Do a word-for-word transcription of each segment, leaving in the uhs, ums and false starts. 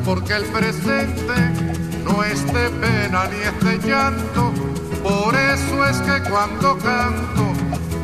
porque el presente no es de pena ni es de llanto. Por eso es que cuando canto,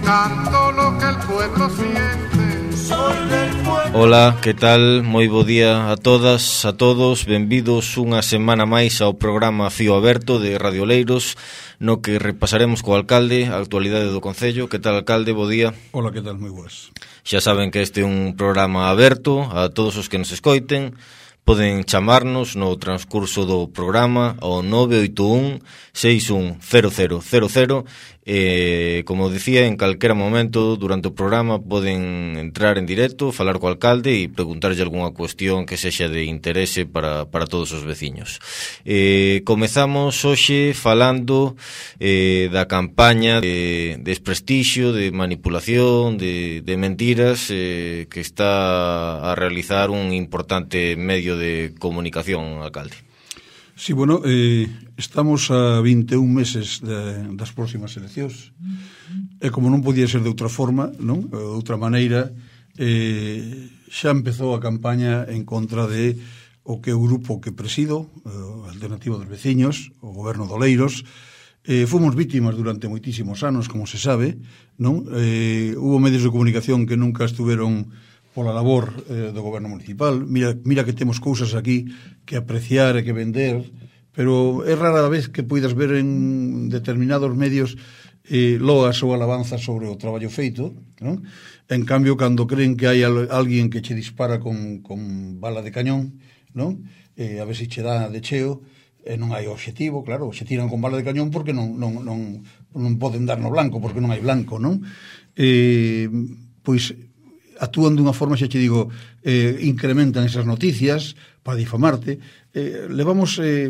canto lo que el pueblo siente. Soy del pueblo. Hola, que tal? Moi bo día a todas, a todos. Benvidos unha semana máis ao programa Fío Aberto de Radio Oleiros, no que repasaremos co alcalde a actualidade do concello. Que tal, alcalde? Bo día. Hola, que tal? Moi boas. Xa saben que este é un programa aberto a todos os que nos escoiten. Poden chamarnos no transcurso do programa ao nove oito un, seis un cero cero cero cero e, como dicía, en calquera momento durante o programa poden entrar en directo, falar co alcalde e preguntarlle algunha cuestión que sexa de interese para, para todos os veciños. Eh, comezamos hoxe falando eh, da campaña de desprestixio, de manipulación, de, de mentiras eh, que está a realizar un importante medio de comunicación, alcalde. Sí, bueno, eh, estamos a vinte e un meses de, das próximas eleccións e como non podía ser de outra forma, non? De outra maneira, eh, xa empezou a campaña en contra de o que o grupo que presido, eh, Alternativa dos Veciños, o goberno de Oleiros. Eh, fomos vítimas durante moitísimos anos, como se sabe, non? Eh, hubo medios de comunicación que nunca estuveron pola labor eh, do goberno municipal. Mira, mira que temos cousas aquí que apreciar e que vender, pero é rara vez que poidas ver en determinados medios eh, loas ou alabanzas sobre o traballo feito, non? En cambio, cando creen que hai al, alguén que che dispara con, con bala de cañón, non? Eh, a ver se che dá de cheo, e non hai obxectivo, claro, se tiran con bala de cañón porque non, non, non, non poden dar no blanco, porque non hai blanco, non? Eh, pois actúan dunha forma, xa che digo, eh, incrementan esas noticias para difamarte. Eh, levamos eh,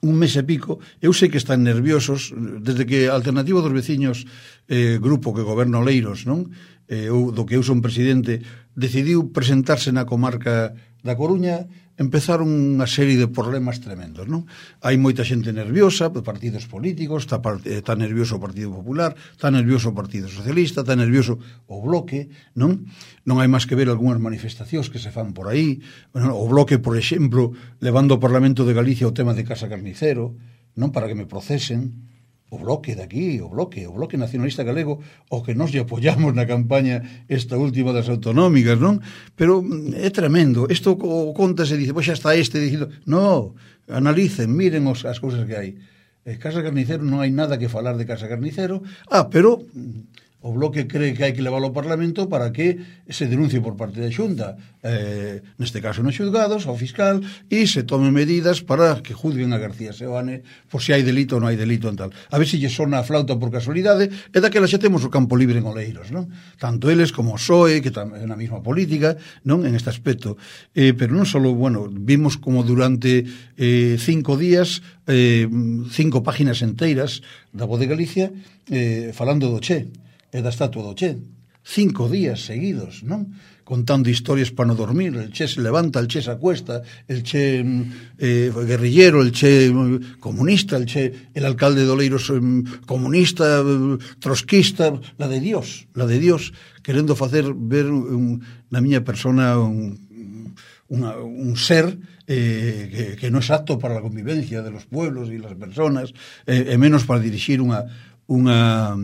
un mes e pico, eu sei que están nerviosos, desde que a Alternativa dos Veciños, eh, grupo que goberna Oleiros, non? Eh, eu, do que eu son presidente, decidiu presentarse na comarca da Coruña, empezaron unha serie de problemas tremendos, non? Hai moita xente nerviosa, partidos políticos, está, está nervioso o Partido Popular, está nervioso o Partido Socialista, está nervioso o Bloque, non? Non hai máis que ver algunhas manifestacións que se fan por aí. Bueno, o Bloque, por exemplo, levando ao Parlamento de Galicia o tema de Casa Carnicero, non, para que me procesen. O Bloque daqui, o Bloque, o Bloque Nacionalista Galego, o que nos lle apoyamos na campaña esta última das autonómicas, non? Pero é tremendo. Isto o conta se dice, pois xa está este dicindo, no, analicen, miren os, as cousas que hai. Eh, Casa Carnicero non hai nada que falar de Casa Carnicero. Ah, pero o Bloque cree que hai que leválo ao Parlamento para que se denuncie por parte da Xunta, eh, neste caso nos xulgados, ao fiscal, e se tomen medidas para que juzguen a García Seoane por se hai delito ou non hai delito en tal. A ver se lle sona a flauta por casualidade, e daquela xa temos o campo libre en Oleiros, non? Tanto eles como o P S O E, que é na mesma política, non? En este aspecto. Eh, pero non só, bueno, vimos como durante eh, cinco días, eh, cinco páginas enteiras da Voz de Galicia, eh, falando do Che, e da estatua do Che, cinco días seguidos, non? Contando historias para non dormir. El Che se levanta, el Che se acuesta, el Che eh, guerrillero, el Che comunista, el Che, el alcalde de Oleiros eh, comunista, eh, trotskista, la de Dios, la de Dios, querendo facer ver un, na miña persona un, una, un ser eh, que, que non é apto para a convivencia de los pueblos e las personas, eh, e menos para dirixir unha unha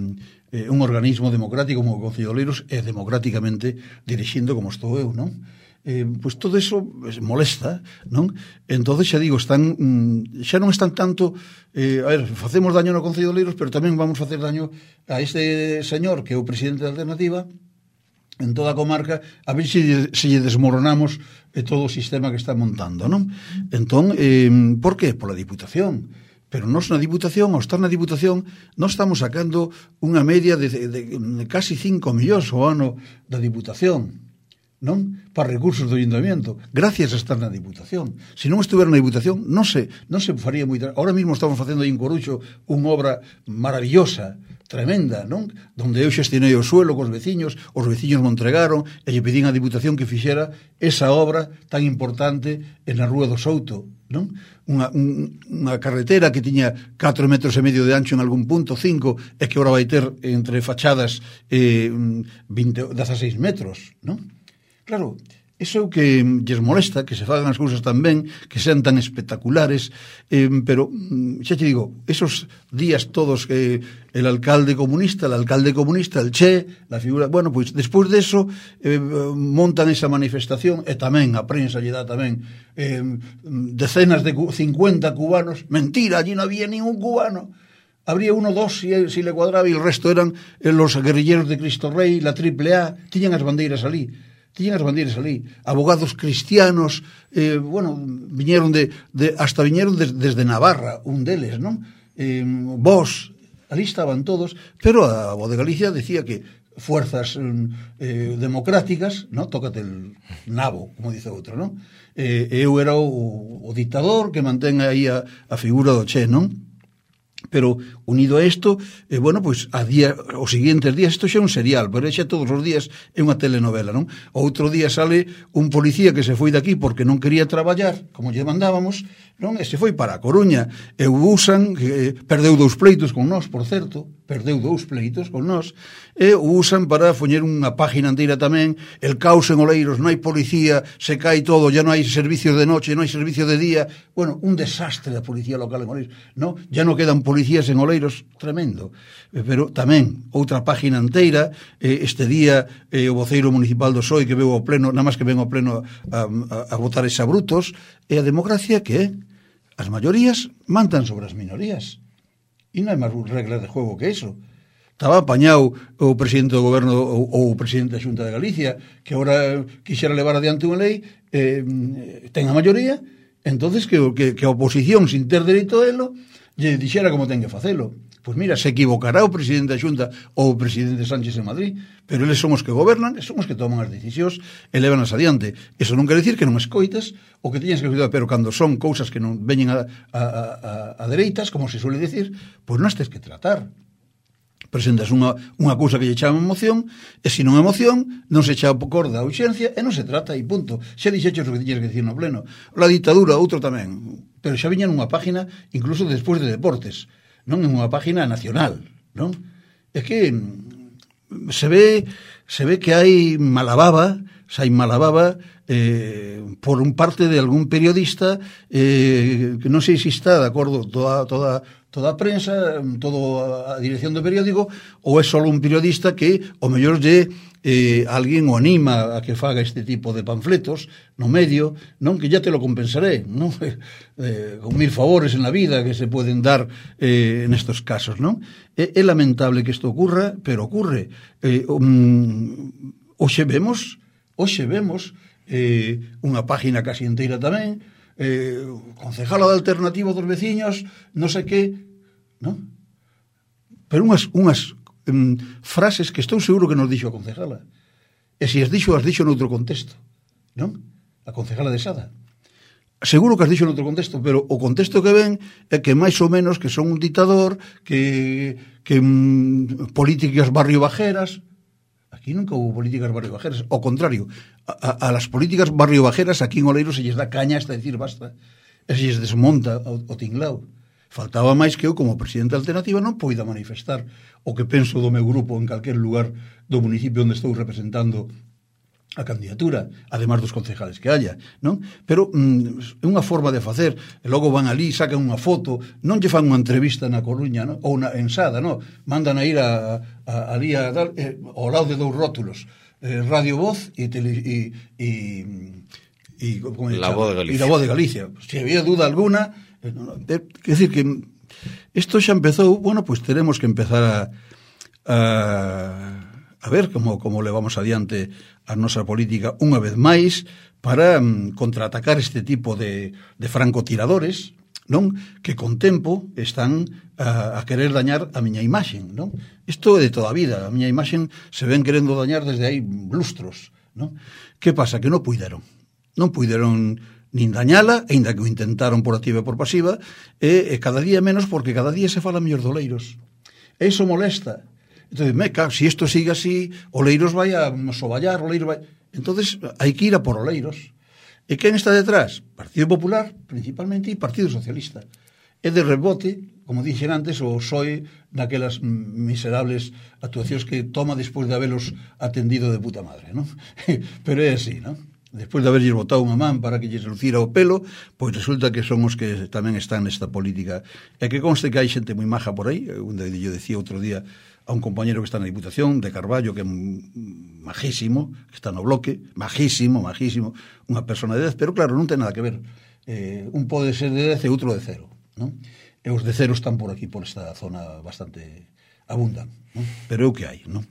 Eh, un organismo democrático como o Concello de Oleiros é democráticamente dirixindo como estou eu, non? Eh, pois todo eso molesta, non? Entonces xa digo, están mm, xa non están tanto eh, a ver, facemos daño no Concello de Oleiros, pero tamén vamos facer daño a este señor que é o presidente da Alternativa en toda a comarca, a ver se, se lle desmoronamos eh, todo o sistema que está montando, non? Entón, eh, por que? Pola Diputación. Pero nós na Diputación, ao estar na Diputación, nós estamos sacando unha media de, de, de casi cinco millóns ao ano da Diputación, non? Para recursos do Ayuntamiento, gracias a estar na Diputación. Se non estuver na Diputación, non se, non se faría moita... Ahora mismo estamos facendo aí en Coruxo unha obra maravillosa, tremenda, non? Donde eu xestionei o suelo cos veciños, os veciños me entregaron e lle pedín á Diputación que fixera esa obra tan importante en a Rúa do Souto, non? Unha, un, unha carretera que tiña catro metros e medio de ancho en algún punto, cinco, e que agora vai ter entre fachadas eh, vinte, dezaseis metros, non? Claro, Eso é o que lles molesta, que se fagan as cousas tan ben, que sean tan espectaculares, eh, pero, xa te digo, esos días todos que el alcalde comunista, el alcalde comunista, el Che, la figura, bueno, pois, pues, despois de eso, eh, montan esa manifestación, e tamén, a prensa lle dá tamén, eh, decenas de cincuenta cubanos, mentira, allí non había ningún cubano, habría uno, dos, si, si le cuadraba, e el resto eran los guerrilleros de Cristo Rey, la triple A, tiñan as bandeiras ali, tiñan as bandeiras ali, abogados cristianos, eh, bueno, viñeron de, de hasta viñeron de, desde Navarra, un deles, non? Eh, vos, ali estaban todos, pero a voz de Galicia decía que fuerzas eh, democráticas, non? Tócate el nabo, como dice outro, non? Eh, eu era o, o dictador que mantén aí a, a figura do Che, non? Pero unido a isto, eh, bueno, pois a día, os seguintes días, isto xa é un serial, pero xa todos os días é unha telenovela, non? Outro día sale un policía que se foi daqui porque non quería traballar, como lle mandábamos, non? E se foi para a Coruña, e o usan, que perdeu dous pleitos con nós, por certo, perdeu dous pleitos con nós, e o usan para poñer unha página inteira tamén, el caos en Oleiros, non hai policía, se cae todo, ya non hai servicios de noche, non hai servicio de día, bueno, un desastre da policía local en Oleiros, non? Ya non quedan policías en Oleiros, tremendo, pero tamén outra página inteira, eh, este día eh, o voceiro municipal do P S O E que veu ao pleno, nada máis que ven ao pleno a, a, a votar exabrutos, e a democracia que é, as maiorías mandan sobre as minorías, e non hai máis reglas de juego que eso. Estaba apañado o presidente do goberno ou, ou o presidente da Xunta de Galicia, que agora quixera levar adiante unha lei, eh, ten a maioría, entonces que, que, que a oposición, sin ter dereito a elo, lle dixera como ten que facelo. Pois mira, se equivocará o presidente da Xunta ou o presidente Sánchez en Madrid, pero eles son os que gobernan, e son os que toman as decisións e levanas adiante. Eso non quer dicir que non escoites o que teñas que cuidar, pero cando son cousas que non veñen a, a, a, a dereitas, como se suele decir, pois non as tens que tratar. Presentas unha, unha cousa que lle chama emoción, e se non é emoción, non se echa por da urxencia, e non se trata, e punto. Xa dixeches o que tiñas que dicir no pleno. La ditadura, outro tamén, pero xa viña nunha página, incluso despois de deportes, non en unha página nacional, non? É que se ve, se ve que hai malababa, se hai malababa eh, por un parte de algún periodista eh, que non sei se está de acordo toda, toda, toda a prensa, toda a dirección do periódico, ou é só un periodista que o mellor lle eh, alguén o anima a que faga este tipo de panfletos no medio, non? Que ya te lo compensaré, non? Eh, con mil favores en la vida que se poden dar eh, en estos casos, non? É, é lamentable que isto ocurra, pero ocurre. Eh, um, hoxe vemos, hoxe vemos eh, unha página casi inteira tamén, eh, concejala de Alternativa dos veciños, non sei que, non? Pero unhas, unhas um, frases que estou seguro que nos dixo a concejala. E se as dixo, as dixo noutro contexto, non? A concejala de Sada. Seguro que as dixo noutro contexto, pero o contexto que ven é que máis ou menos que son un dictador, que, que um, políticas barrio bajeras. Aquí nunca hubo políticas barrio bajeras. Ao contrario, a, a, a las políticas barrio bajeras aquí en Oleiros se lles dá caña hasta decir basta. E se lles desmonta o, o tinglao. Faltaba máis que eu, como presidente alternativa, non poida manifestar o que penso do meu grupo en calquer lugar do municipio onde estou representando a candidatura, además dos concejales que haya, non? Pero mm, é unha forma de facer, e logo van ali, sacan unha foto, non lle fan unha entrevista na Coruña, non? Ou na ensada, non? Mandan a ir a, a, a ali a dar, eh, ao lado de dous rótulos, eh, Radio Voz e tele, e, e, e como La Voz de Galicia. E La Voz de Galicia. Se había duda alguna, eh, eh, quer decir que isto xa empezou, bueno, pues teremos que empezar a a, a ver como, como levamos adiante a nosa política unha vez máis para um, contraatacar este tipo de, de francotiradores, non? Que con tempo están a, a querer dañar a miña imaxen, non? Isto é de toda a vida, a miña imaxen se ven querendo dañar desde aí lustros, non? Que pasa? Que non puideron. Non puideron nin dañala, ainda que o intentaron por activa e por pasiva, e, e cada día menos porque cada día se fala mellor de Oleiros. E iso molesta. Entón, me cago, se si isto sigue así, Oleiros vai a soballar, Oleiros vai... Entonces, hai que ir a por Oleiros. E quen está detrás? Partido Popular, principalmente, e Partido Socialista. E de rebote, como dixen antes, o P S O E naquelas miserables actuacións que toma despois de habelos atendido de puta madre, non? Pero é así, non? despois de haberlles botado unha man para que lles lucira o pelo, pois resulta que son os que tamén están nesta política. E que conste que hai xente moi maja por aí, onde yo decía outro día a un compañero que está na Diputación de Carballo, que é majísimo, que está no bloque, majísimo, majísimo, unha persona de dez, pero claro, non ten nada que ver. Eh, un pode ser de dez e outro de cero, non? E os de cero están por aquí, por esta zona bastante abundan, non? Pero é o que hai, non?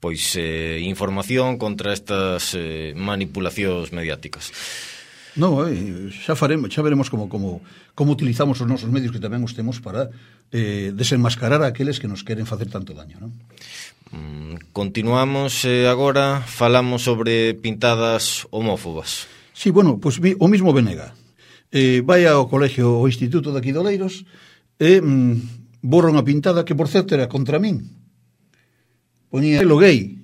Pois eh, información contra estas eh, manipulacións mediáticas. No, eh, xa faremos, xa veremos como, como, como utilizamos os nosos medios, que tamén os temos para eh, desenmascarar a aqueles que nos queren facer tanto daño, non? Mm, continuamos eh, agora, falamos sobre pintadas homófobas. Sí, bueno, pois pues, o mismo Venega. Eh, vai ao colegio, ao instituto de aquí de Oleiros, e mm, borra unha pintada que, por certo, era contra min. Poñía lo gay.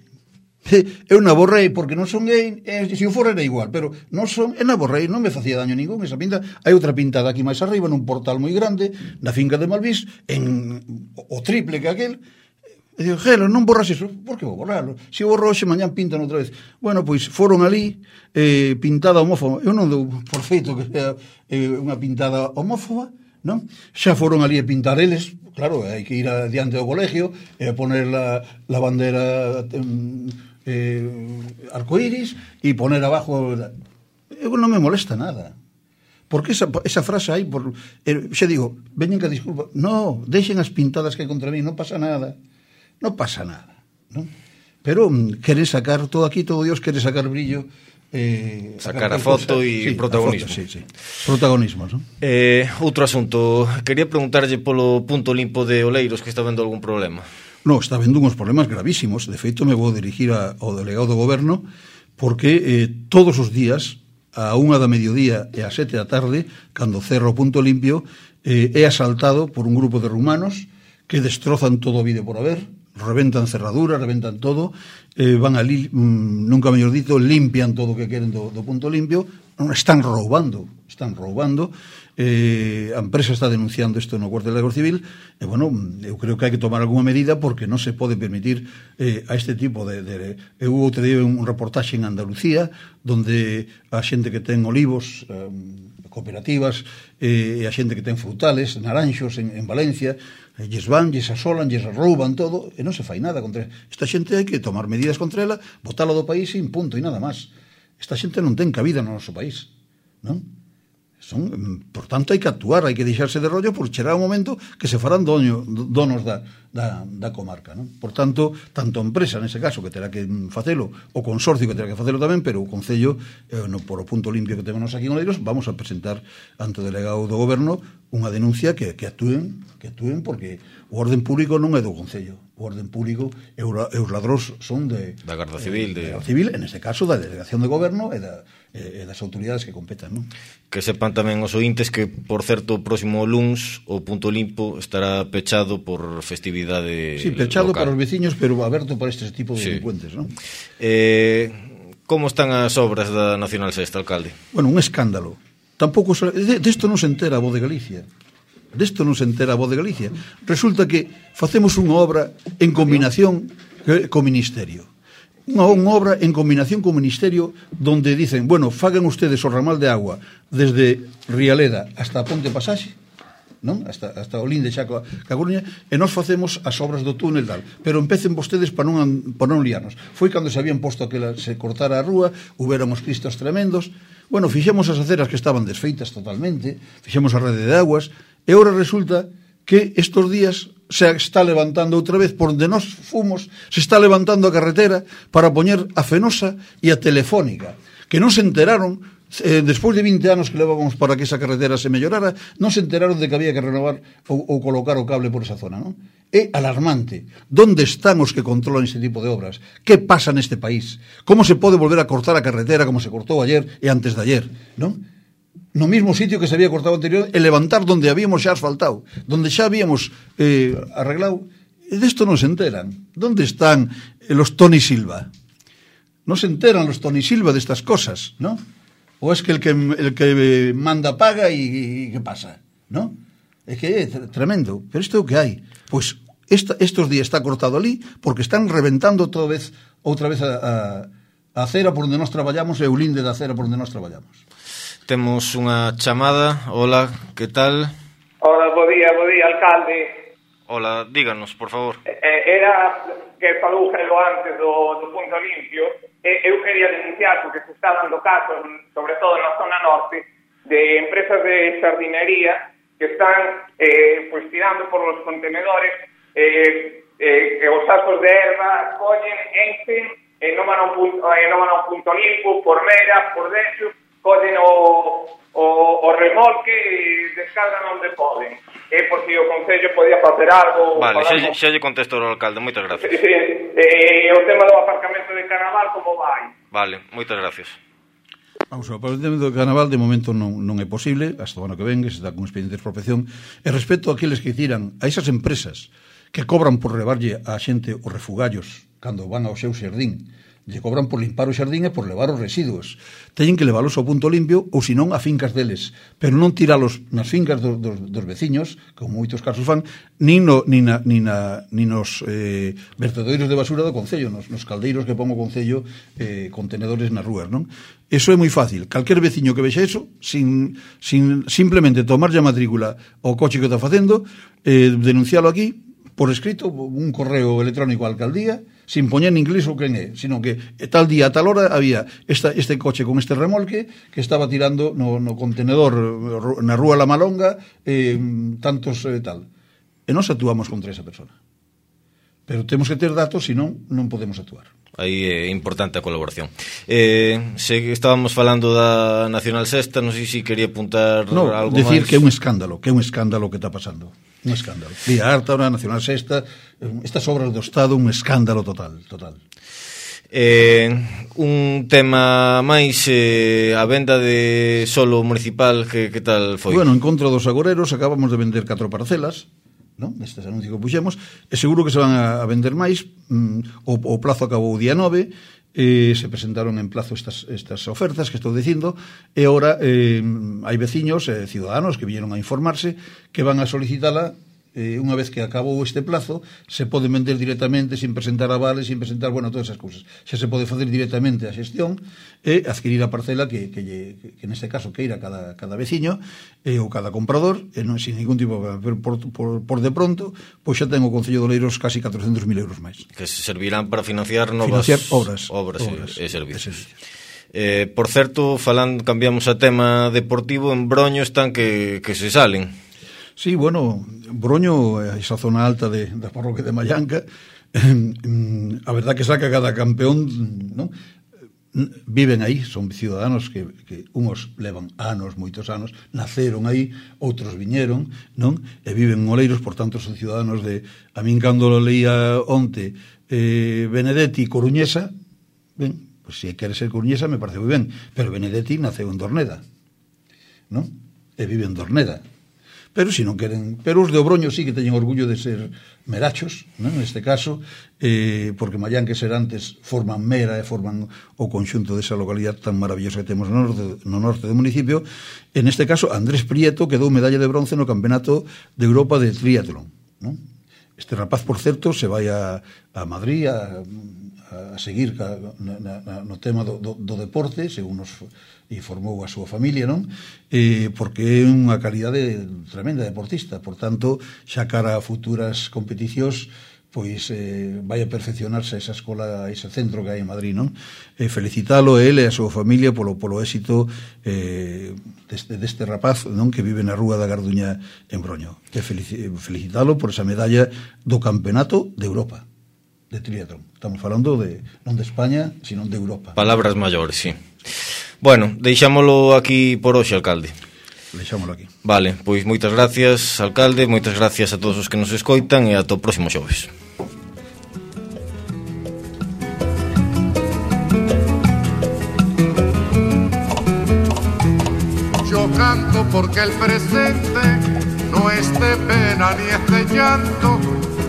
Eu na borrei porque non son gay, e se o for era igual, pero non son, e na borrei, non me facía daño ningún esa pinta. Hai outra pintada aquí máis arriba, nun portal moi grande, na finca de Malvís, en o triple que aquel. E digo, Gelo, non borras iso. Por que vou borrarlo? Se o borro hoxe, mañán pintan outra vez. Bueno, pois foron ali, eh, pintada homófoba. Eu non dou por feito que sea eh, unha pintada homófoba, non? Xa foron ali a pintar eles, claro, hai que ir adiante do colegio e poner la, la bandera eh, arcoíris e poner abajo. Eu non me molesta nada. Porque esa, esa frase aí, por, eh, xa digo, veñen que disculpa, no, deixen as pintadas que hai contra mí, non pasa nada. Non pasa nada, non? Pero mm, quere sacar todo aquí, todo Dios quere sacar brillo, eh, sacar a foto e sí, protagonismo. Foto, sí, sí. Protagonismo, non? Eh, outro asunto, quería preguntarlle polo punto limpo de Oleiros, que está vendo algún problema. No, está vendo uns problemas gravísimos. De feito, me vou dirigir a, ao delegado do goberno, porque eh, todos os días, a unha da mediodía e a sete da tarde, cando cerra o punto limpio, eh, é asaltado por un grupo de rumanos que destrozan todo o vídeo por haber, reventan cerraduras, reventan todo, eh, van ali, mm, nunca mellor dito, limpian todo o que queren do, do punto limpio, non, están roubando, están roubando, eh, a empresa está denunciando isto no cuartel da Guardia Civil, e, bueno, eu creo que hai que tomar algunha medida porque non se pode permitir eh, a este tipo de... de eu outro día un reportaxe en Andalucía, donde a xente que ten olivos, eh, cooperativas, eh, e a xente que ten frutales, naranxos en, en Valencia, e lles van, lles asolan, lles rouban todo, e non se fai nada contra esta xente. Hai que tomar medidas contra ela, botala do país e en punto, e nada máis. Esta xente non ten cabida no noso país, non? Son, por tanto, hai que actuar, hai que deixarse de rollo, porque chegará un momento que se farán doño, donos da, da, da comarca, non? Por tanto, tanto a empresa, nese caso, que terá que facelo, o consorcio que terá que facelo tamén, pero o Concello, eh, no, por o punto limpio que temos aquí en Oleiros, vamos a presentar ante o delegado do goberno unha denuncia que, que actúen, que actúen, porque o orden público non é do Concello. O orden público e os ladróns son de... Da Garda Civil. De, de... da Garda Civil, en este caso, da Delegación de Goberno e, da, e das autoridades que competan, non? Que sepan tamén os ointes que, por certo, o próximo luns o punto limpo estará pechado por festividade Sí, pechado local. para os veciños, pero aberto para este tipo de sí. delincuentes, non? Eh, como están as obras da Nacional Sexta, alcalde? Bueno, un escándalo. Tampouco de, de isto non se entera a voz de Galicia. Desto non se entera a voz de Galicia. Resulta que facemos unha obra en combinación co Ministerio. Unha, unha obra en combinación co Ministerio donde dicen, bueno, fagan ustedes o ramal de agua desde Rialeda hasta a Ponte Pasaxe, non? Hasta, hasta o Linde xa ca Coruña, e nós facemos as obras do túnel dal. Pero empecen vostedes para non, para non liarnos. Foi cando se habían posto que se cortara a rúa, huberon os cristos tremendos. Bueno, fixemos as aceras que estaban desfeitas totalmente, fixemos a rede de aguas, e agora resulta que estos días se está levantando outra vez, por onde nós fomos, se está levantando a carretera para poñer a Fenosa e a Telefónica, que non se enteraron, eh, despois de vinte anos que levábamos para que esa carretera se mellorara, non se enteraron de que había que renovar ou, ou colocar o cable por esa zona, non? É alarmante. Donde están os que controlan este tipo de obras? Que pasa neste país? Como se pode volver a cortar a carretera como se cortou ayer e antes de ayer, non? No mismo sitio que se había cortado anterior, e levantar donde habíamos xa asfaltado, donde xa habíamos eh, arreglado. E desto non se enteran. Donde están eh, los Tony Silva? Non se enteran los Tony Silva destas cosas, ¿no? O es que el que, el que manda paga e, e que pasa, ¿no? É que é tremendo. Pero isto é o que hai. Pois esta, estos días está cortado ali porque están reventando outra vez, outra vez a, a A acera por onde nós traballamos é o linde da acera por onde nós traballamos. Temos unha chamada. Hola, que tal? Hola, bo día, bo día, alcalde. Hola, díganos, por favor. Eh, era que falou Gelo antes do, do punto limpio. Eh, eu quería denunciar porque se está dando casos, sobre todo na zona norte, de empresas de jardinería que están eh, pues tirando por los contenedores eh, eh, que os sacos de erva collen, enchen, e non van a un punto, eh, non van a un punto limpo, por mera, por dentro, collen o, o, o remolque e descargan onde poden. É eh, porque o Concello podía facer algo... Vale, xa, xa lle contesto ao alcalde, moitas gracias. Sí, sí, eh, o tema do aparcamento de Carnaval, como vai? Vale, moitas gracias. Vamos, o apartamento do Carnaval de momento non, non é posible, hasta o ano que ven, que se está con expediente de expropiación, e respecto a aqueles que tiran a esas empresas que cobran por levarlle a xente os refugallos cando van ao seu xardín, lle cobran por limpar o xardín e por levar os residuos. Teñen que leválos ao punto limpio ou senón a fincas deles, pero non tiralos nas fincas do, do, dos veciños, como moitos casos fan, nin, no, nin, na, nin, na, nin nos eh, vertedoiros de basura do Concello, nos, nos caldeiros que pon o Concello eh, contenedores nas rúas, non? Eso é moi fácil. Calquer veciño que vexa eso, sin, sin simplemente tomarlle a matrícula ao coche que está facendo, eh, denuncialo aquí, por escrito, un correo electrónico á alcaldía, sin poñer en inglés o quen é, sino que tal día, a tal hora, había esta, este coche con este remolque que estaba tirando no, no contenedor na rúa La Malonga eh, tantos eh, tal. E nós actuamos contra esa persona. Pero temos que ter datos, senón non podemos actuar. Aí é importante a colaboración. Eh, se estábamos falando da Nacional Sexta, non sei se quería apuntar no, algo decir máis. Que é un escándalo, que é un escándalo que está pasando. Un escándalo. Vía Harta, a Nacional Sexta, estas obras do Estado, un escándalo total, total. Eh, un tema máis, eh, a venda de solo municipal, que, que tal foi? Bueno, en contra dos agoreros, acabamos de vender catro parcelas, non? Destes anuncios que puxemos, e seguro que se van a, a vender máis. mm, o, o plazo acabou o día nove, eh, se presentaron en plazo estas, estas ofertas que estou dicindo, e ora eh, hai veciños e eh, ciudadanos que viñeron a informarse que van a solicitala. Eh, unha vez que acabou este plazo, se pode vender directamente, sin presentar avales, sin presentar, bueno, todas esas cousas. Xa se pode facer directamente a xestión e adquirir a parcela que, que, lle, que, que neste caso queira cada, cada veciño eh, ou cada comprador, e non sin ningún tipo, pero por, por, por de pronto, pois xa ten o Concello de Oleiros casi catrocentos mil euros máis. Que se servirán para financiar novas financiar obras, obras, obras e, e servicios. E servicios. Eh, por certo, falando, cambiamos a tema deportivo, en Broño están que, que se salen. Sí, bueno, Broño, esa zona alta de, da parroquia de Mallanca, eh, a verdad que saca cada campeón, ¿no? Viven aí, son ciudadanos que, que uns levan anos, moitos anos, naceron aí, outros viñeron, non? E viven en Oleiros, por tanto son ciudadanos de... A min cando lo leía onte eh, Benedetti Coruñesa, ben, pues se quere ser coruñesa me parece moi ben, pero Benedetti naceu en Dorneda, non? E vive en Dorneda. Pero si non queren, pero os de Obroño sí que teñen orgullo de ser merachos, non? Neste caso, eh, porque Mallanca e Serantes forman Mera e forman o conxunto desa localidade tan maravillosa que temos no norte, no norte do municipio. En este caso, Andrés Prieto quedou medalla de bronce no Campeonato de Europa de Triatlón, non? Este rapaz, por certo, se vai a, a Madrid a, a seguir ca, na, na, no tema do, do, do deporte, según nos informou a súa familia, non? Eh, porque é unha calidade tremenda deportista, por tanto, xa cara a futuras competicións, pois eh, vai a perfeccionarse esa escola, ese centro que hai en Madrid, non? Eh, felicitalo a ele e a súa familia polo, polo éxito eh, deste, deste rapaz, non? Que vive na Rúa da Garduña en Broño. E felicitalo por esa medalla do Campeonato de Europa de triatlón. Estamos falando de non de España, sino de Europa. Palabras maiores, sí. Bueno, deixámolo aquí por hoxe, alcalde. Deixámolo aquí. Vale, pois moitas gracias, alcalde, moitas gracias a todos os que nos escoitan e ata o próximo xoves. Yo canto porque el presente no es de pena ni es de llanto,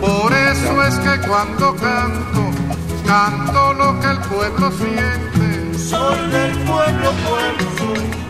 por eso es que cuando canto, canto lo que el pueblo siente. Soy del pueblo, pueblo soy.